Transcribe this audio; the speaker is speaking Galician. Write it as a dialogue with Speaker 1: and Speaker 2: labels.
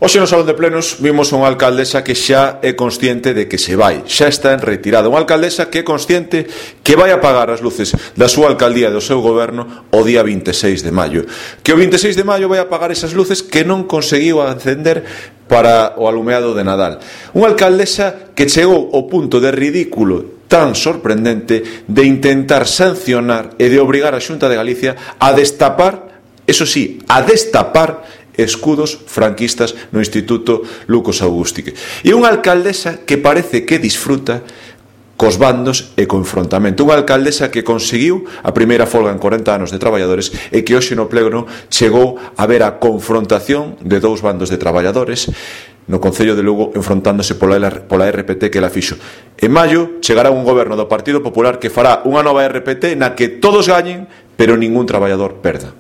Speaker 1: Hoxe no Salón de Plenos vimos unha alcaldesa que xa é consciente de que se vai, xa está en retirada. Unha alcaldesa que é consciente que vai apagar as luces da súa alcaldía e do seu goberno o día 26 de maio. Que o 26 de maio vai apagar esas luces que non conseguiu acender para o alumeado de Nadal. Unha alcaldesa que chegou ao punto de ridículo tan sorprendente de intentar sancionar e de obrigar a Xunta de Galicia a destapar, eso sí, a destapar escudos franquistas no Instituto Lucos Augustique. E unha alcaldesa que parece que disfruta cos bandos e co enfrontamento. Unha alcaldesa que conseguiu a primeira folga en 40 anos de traballadores e que hoxe no pleno chegou a ver a confrontación de dous bandos de traballadores no Concello de Lugo enfrontándose pola RPT que la fixo. En maio chegará un goberno do Partido Popular que fará unha nova RPT na que todos gañen, pero ningún traballador perda.